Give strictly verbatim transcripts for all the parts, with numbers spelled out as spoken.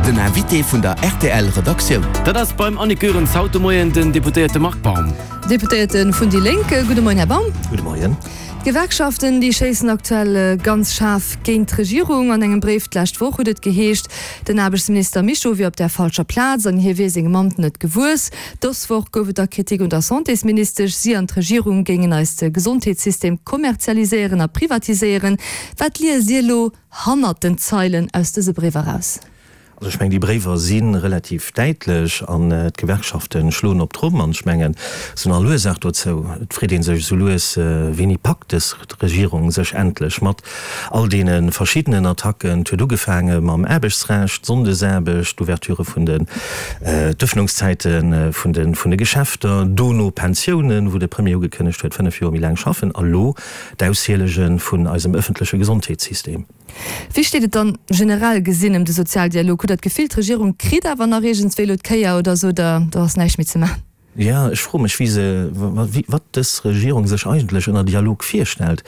Den Invité vun der R T L Redaktioun. Dat ass beim Annick Goerens haut de Moien den Deputéierte Marc Baum. Deputéierte vun déi Lénk. Gudde Moien, Här Baum. Gudde Moien. D'Gewerkschaften, déi schéissen aktuell ganz schaarf géint d'Regierung. An engem Bréif d'lescht Woch huet et geheescht, den Aarbechtsminister Mischo wier op der falscher Plaz an hie wier sengem Amt net gewuess. Dës Woch gouf et da Kritik un der Santésministesch. Si an d'Regierung géingen eise Gesondheetssystem kommerzialiséieren a privatiséieren. Wat liest Dir elo hannert den Zeilen aus dëse Bréiwer eraus? Also ech mengen, déi Bréiwer si relativ däitlech an d'Gewerkschafte schloen op d'Tromm an ech mengen, se hunn all Ursaach dozou. Et freet ee sech esou lues, wéini packt dës Regierung sech endlech mat all deene verschiddenen Attacken. Et huet ugefaange mam Aarbechtsrecht, d'Sonndesaarbecht, d'Ouverture vun den, d'Ëffnungszäite vun de, vun de Geschäfter, dono Pensiounen, wou de Premier ugekënnegt huet, fënnef Joer méi laang schaffen, a lo d'Aushielege vun eisem ëffentleche Gesondheetssystem. Wéi steet et dann generell gesinn ëm de Sozialdialog? Hutt Der d'Gefill, d'Regierung kritt awer nach iergendswéi elo d'Kéier oder sot Der, do ass näischt méi ze maachen? Jo, ech froe mech, wéi se, wat dës Regierung sech eigentlech ënner Dialog virstellt.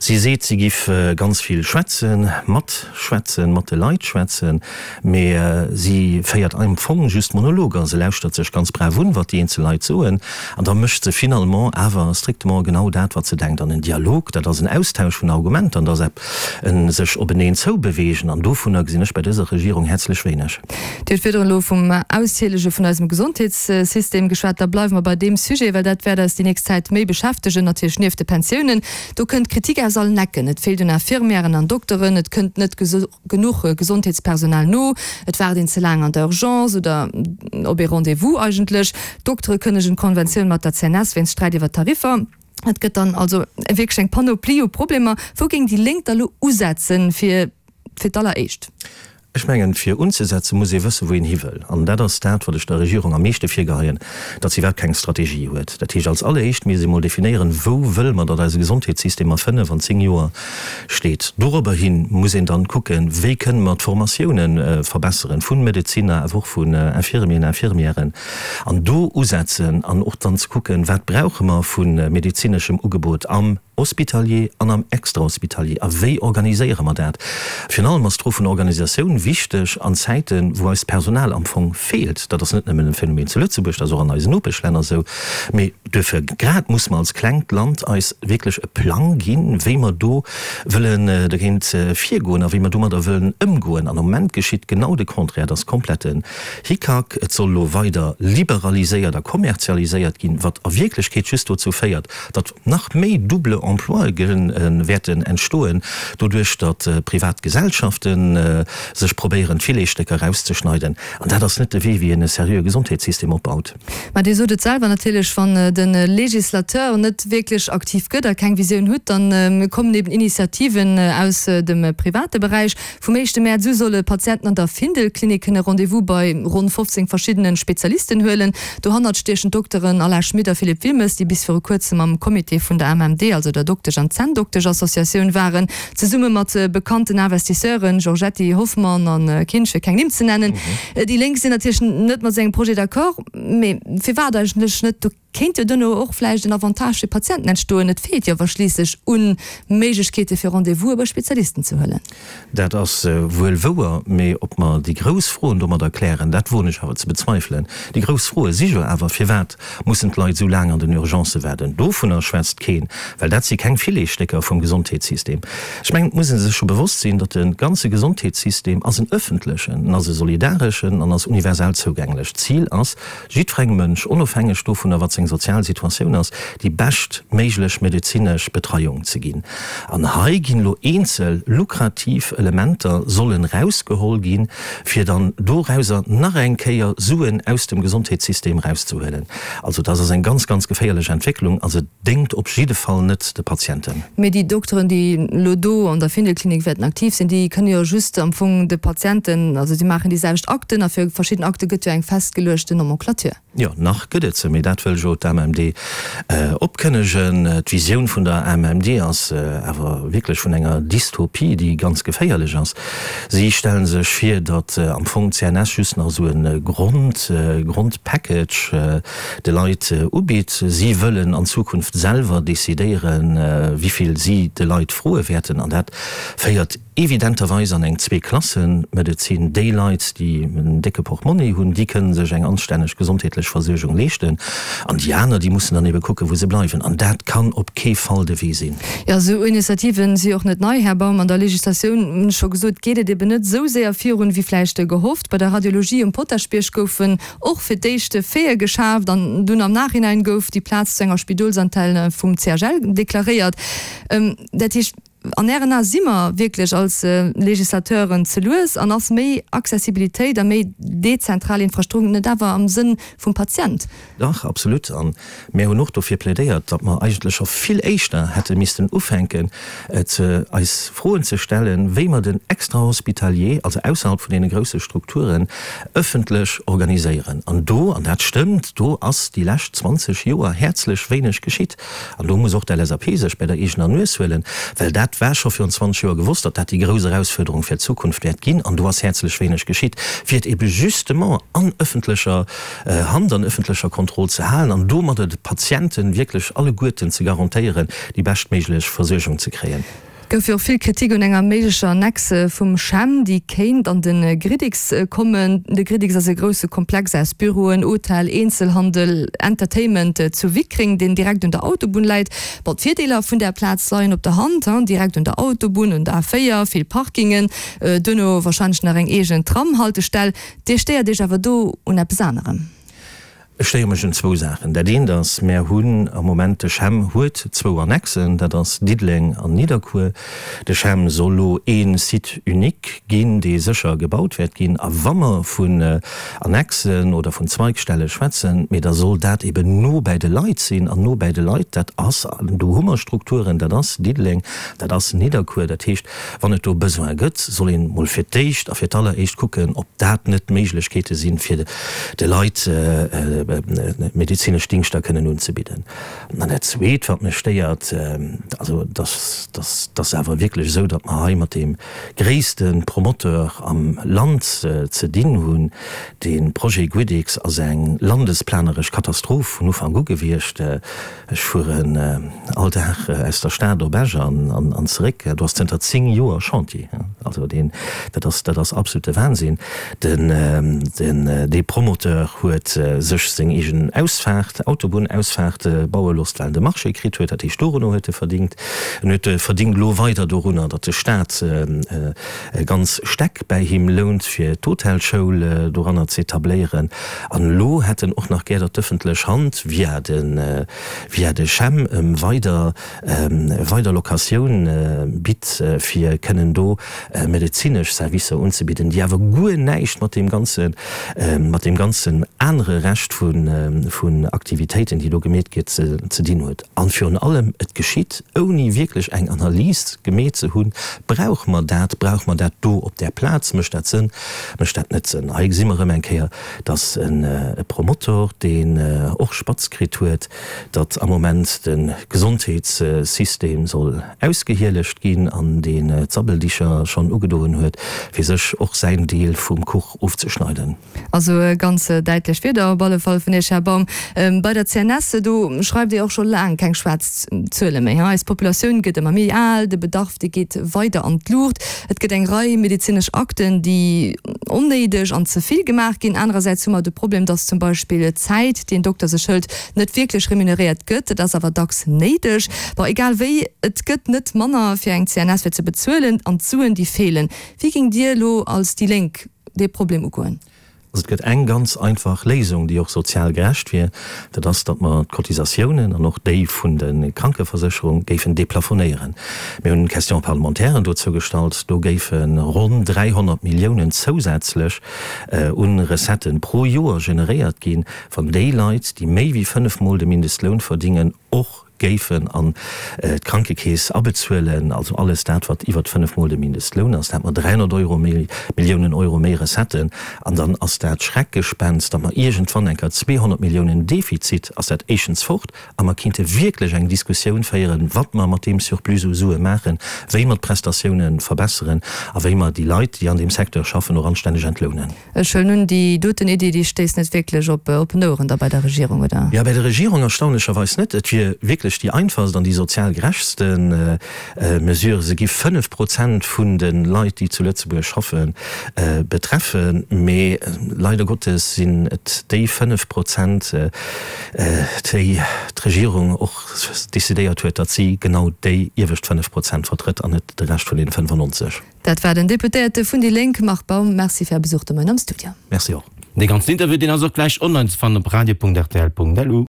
Si seet, si giff ganz vill schwätzen, matschwätzen, mat de Leit schwätzen, mee si féiert am Fong just Monologer. Se lauschtert sech ganz brav un, wat déi eenzel Leit soen, an da mécht se finalement awer strictement genau dat, wat se denkt. An en Dialog, dat ass en Austausch vun Argumenter, an dat ass e sech openeen zoubeweegen, an dovunner gesinn ech bei dëser Regierung häerzlech wéineg. Dir hutt virdrun elo vum Aushielege vun eisem Gesondheetssystem geschwat. Da bleiwe mer bei deem Sujet, well dat wäert eis déi nächst Zäit méi beschäftegen, natierlech nieft de Pensiounen. Do kënnt Kritik aus allen Ecken. Et feelt un Infirmièren an Dokteren, et kënnt net genuch Gesondheetspersonal no, et waart een ze laang an der Urgence oder op ee Rendez-vous eigentlech. D'Doktere kënnegen d'Konventioun mat der C N S wéinst Sträit iwwer d'Tariffer. Et gëtt dann also wierklech eng Panoplie u Problemer. Wou géing déi Lénk da lo usetzen, fir fir d'alleréischt? Ech mengen, fir unzesetzen, muss ee wëssen, wou een hi wëll. An dat ass dat, wat ech der Regierung am meeschte virgeheien, datt se iwwerhaapt keng Strategie huet. Dat heescht, als alleréischt misst ee mol definéieren, wou wëlle mer, datt eise Gesondheetssystem a fënnef an zéng Joer steet. Dorobber hi muss een dann kucken, wéi kënne mer d'Formatiounen verbesseren, vu Medezinner, awer och vun Infirmieren, Infirmièren, an do usetzen an och dann ze kucken, wat brauche mer vu medezineschem Ugebot am Hospitalier an am Extrahospitalier, a wéi organiséiere mer dat? Virun allem ass d'Fro vun der Organisatioun wichteg an Zäiten, wou eist Personal am Fong feelt. Dat ass net nëmmen e Phänomen zu Lëtzebuerg, dat ass och an eisen Nopeschlänner esou. Mee duerfir grad muss mer als klengt Land eis wierklech e Plang ginn, wéi mer do wëllen dogéint virgoen a wéi mer domadder wëllen ëmgoen. An am Moment geschitt genau de Contraire, et ass kompletten Hickhack. Et soll elo weider liberaliséiert a kommerzialiséiert ginn, wat a Wierklechkeet just dozou féiert, datt nach méi double Emploie wäerten entstoen, doduerch datt privat Gesellschafte sech probéieren, d'Filetsstécker erauszeschneiden. An dat ass net de Wee, wéi een e seriöe Gesondheetssystem opbaut. Mä Dir sot et selwer, natierlech, wann de Législateur net wierklech aktiv gëtt a keng Visioun hutt, da kommen eben Initiativen aus dem private Beräich. Vum éischte Mäerz u solle Patienten an der Findel-Klinik kënne Rendez-vous bei ronn fofzéng verschiddene Spezialisten huelen. Dohannert stiechen d'Dokteren Alain Schmit a Philippe Wilmes, déi bis viru kuerzem am Comité vun der A M M D, also der Doktesch an Zänndoktesch-Associatioun waren, zesumme mat bekannten Investisseuren, Giorgetti, Hoffmann an Kinsch, fir keng Nimm ze nennen. Déi Lénk sinn natierlech net mat sou engem Projet d'accord, mee firwat eigentlech net? Do kéint jo duerno och vläicht en Avantage fir d'Patienten entstoen. Et feelt jo awer schliisslech un Méiglechkeete fir Rendez-vouse bei Spezialisten ze huelen. Dat ass wuel wouer, mee ob mer déi grouss Froen domadder klären, dat woen ech awer ze bezweifelen. Déi grouss Froe si jo awer, Firwat mussen d'Leit esou laang an den Urgencë waarden? Dovunner schwätzt keen, well dat si keng Filetsstécker vum Gesondheetssystem. Ech mengen, et muss ee sech scho bewosst sinn, datt de ganze Gesondheetssystem ass en öffentlechen, en ass e solidareschen an ass universell zougänglech. D'Zil ass, jiddwerengem Mënsch, onofhängeg dovunner, wat seng sozial Situatioun ass, déi bescht méiglech medezinesch Betreiung ze ginn. An hei ginn elo eenzel lukrativ Elementer sollen erausgeholl ginn, fir dann dorauser nach eng Kéier Suen aus dem Gesondheetssystem erauszehuelen. Also dat ass eng ganz, ganz geféierlech Entwécklung a se déngt op jidde Fall net de Patienten. Mee déi Dokteren, déi elo do an der Findelklinik wäerten aktiv sinn, déi kënne jo just am Fong de Patienten, also si maachen déi selwecht Akten a fir verschidden Akte gëtt jo eng festgeluechten Nomenclature. Jo, nach gëtt et se, mee dat wëll jo d'A M M D opkënnegen. D'Visioun vun der A M M D ass awer wierklech vun enger Dystopie, déi ganz geféierlech ass. Si stelle sech vir, datt am Fong d'C N S just nach esou e Grond, Grondpackage de Leit ubitt. Si wëllen an Zukunft selwer decidéieren, wäerten, wéi vill si de Leit froe wäerten. An dat féiert evidenterweis an eng Zweeklassemedezin. Déi Leit, déi en décke Portmonni hunn, déi kënnen sech eng anstänneg gesondheetlech Versuergung leeschten. An déi aner, déi mussen dann ebe kucken, wou se bleiwen. An dat kann op kee Fall de Wee sinn. Jo, esou Initiativen si och net nei, Här Baum. An der Legislatioun, hunn ech scho gesot, geet et eben net esou séier virun, wéi vläicht gehofft. Bei der Radiologie um Potaschbierg goufen och fir d'éischt Faiten geschaaft an dunn am Nachhinein gouf déi Plaz zu enger Spidolsantenne vum C H L deklaréiert. Dat heescht, an Ären Ae si mer wierklech als Legislateuren ze lues an ass méi Accessibilitéit a méi dezentral Infrastrukturen net awer am Sënn vum Patient? Dach, absolut. A mir hunn och dofir plädéiert, datt mer eigentlech scho vill éischter hätte missten ufänken, eis Froen ze stellen, wéi mer den Extrahospitalier, also ausserhalb vun deene grousse Strukturen, ëffentlech organiséieren. An do, an dat stëmmt, do ass déi lescht zwanzeg Joer häerzlech wéineg geschitt. An do muss och d'L S A P sech bei der eegener Nues huelen, well dat war scho virun zwanzeg Joer gewosst, datt dat déi grouss Erausfuerderung fir d'Zukunft wäert ginn. An do ass häerzlech wéineg geschitt, fir et ebe justement an ëffentlecher Hand, an ëffentlecher Kontroll ze halen an domadder de Patienten wierklech alleguerten ze garantéieren, déi beschtméiglech Versuergung ze kréien. Gouf jo och vill Kritik un enger méiglecher Annexe vum CHEM, déi kéint an de Gridix kommen. De Gridix ass e grousse Komplex aus Büroen, Hotel, Eenzelhandel, Entertainment zu Wickreng, deen direkt un der Autobunn läit. Bon, d'Virdeeler vun där Plaz leien op der Hand, direkt un der Autobunn, un der A véier, vill Parkingen, duerno warscheinlech nach eng eegen Tramhaltestell. Dir stéiert Iech awer do un eppes anerem. Ech stéiere mech un zwou Saachen. Dat eent ass, Mär hunn am Moment, de CHEM huet zwou Annexen, dat ass Diddeleng an Nidderkuer. De CHEM soll elo ee Site unique ginn, dee sécher gebaut wäert ginn. A wa mer vun Annexen oder vun Zweigstelle schwätzen, mee da soll dat eben no bäi de Leit sinn. An no bäi de Leit, dat ass, do hu mer Strukturen, dat ass Diddeleng, dat ass Nidderkuer. Dat heescht, wann et do Besoin gëtt, soll een mol fir d'éischt a fir d'alleréischt kucken, ob dat net Méiglechkeete sinn, fir de Leit medezinesch Dingschter kënnen unzebidden. An dat Zweet, wat mech stéiert, also dass, dass, dass awer wierklech esou, datt mer hei mat deem gréisste Promoteur am Land ze dinn hunn. Dee Projet Guedix ass eng landesplaneresch Katastroph vun Ufank u gewiescht. Ech fueren all Dag aus der Stad op Esch an zeréck. Do ass zënter zéng Joer Chantier. Also deen, dat ass, dat ass absolute Wahnsinn. Den, den, dee Promoteur huet sech seng eegen Ausfaart, Autobunnausfaart baue looss, well en de Marché kritt huet. Dat heescht, dorunner huet e verdingt. En huet verdingt elo weider dorunner, datt de Staat ganz Stäck bäi him lount, fir d'Hotelschoul doranner z'etabléieren. An elo hätt en och nach gär, datt d'ëffentlech Hand via de, via de CHEM em weider, weider Locatioun bitt, fir kënnen do medezinesch Servicer unzebidden, déi awer guer näischt mat deem ganzen, mat deem ganzen anere Rescht vun, vun Aktivitéiten, déi do gemeet gëtt, ze, ze dinn huet. An virun allem, et geschitt, ouni wierklech eng Analys gemeet ze hunn, Brauche mer dat? Brauche mer dat do op där Plaz? Mécht dat Sënn? Mécht dat net Sënn? Hei gesi mer erëm eng Kéier, dass e Promotor, deen och spatz kritt huet, datt am Moment de Gesondheetssystem soll ausgehielegt ginn an deen d'Sabbeldicher schonn ugedoen huet, fir sech och säin Deel vum Kuch ofzeschneiden. Also ganz däitlech Wierder op alle Fall vun Iech, Här Baum. Bei der C N S, do schreift Dir och scho laang keng schwaarz Zuele méi. Eis Populatioun gëtt ëmmer méi al, de Bedarf dee geet weider an d'Luucht. Et gëtt eng Rei medezinesch Akten, déi onnéideg an ze vill gemaach ginn. Anerersäits hu mer de Problem, dass zum Beispill d'Zäit, déi en Dokter sech hëlt, net wierklech remuneréiert gëtt. Et ass awer dacks néideg. Bon, egal wéi, et gëtt net manner fir eng C N S fir ze bezuelen an d'Suen, déi feelen. Wéi géingt Dir elo als déi Lénk dee Problem ugoen? Also et gëtt eng ganz einfach Léisung, déi och sozial gerecht wier, dat ass, datt mer d'Cotisatiounen an och déi vun de Krankeversécherung géifen deplafonéieren. Mir hunn Question-parlementairen dozou gestallt, do géife ronn dräihonnert Milliounen zousätzlech u Recetten pro Joer generéiert ginn, wann déi Leit, déi méi wéi fënnef Mol de Mindestloun verdingen, och géifen an d'Krankekeess abezuelen, also alles dat, wat iwwert fënnef Mol de Mindestloun ass, da hätte mer dräihonnert Euro méi, Milliounen Euro méi Recetten. An dann ass dat Schreckgespenst, datt mer iergendwann eng Kéier zweehonnert Milliounen Defizit, ass dat éischtens fort a mer kinnte wierklech eng Diskussioun féieren, wat mer mat deem Surplus u Sue maachen, wéi mer d'Prestatiounen verbesseren a wéi mer déi Leit, déi an deem Secteur schaffen, och anstänneg entlounen. Ech huelen un, déi doten Iddi, déi stéisst net wierklech op oppen Oueren da bei der Regierung, oder? Jo, bei der Regierung erstaunlecherweis net. Et wier wierklech eigentlech déi einfachst an déi sozial gerechtste Mesure. Se gi fënnef Prozent vun de Leit, déi zu Lëtzebuerg schaffen, betreffen. Mee leider Gottes sinn et déi fënnef Prozent, déi d'Regierung och decidéiert huet, datt si genau déi iewescht fënnef Prozent vertrëtt an net de Rescht vun deene fënnefannonzeg. Dat war den Deputéierte vun déi Lénk Marc Baum. Merci fir Är Besuch de Moien am Studio. Merci och. Dee ganzen Interview, deen ass och gläich online ze fannen op radio.rtl.lu.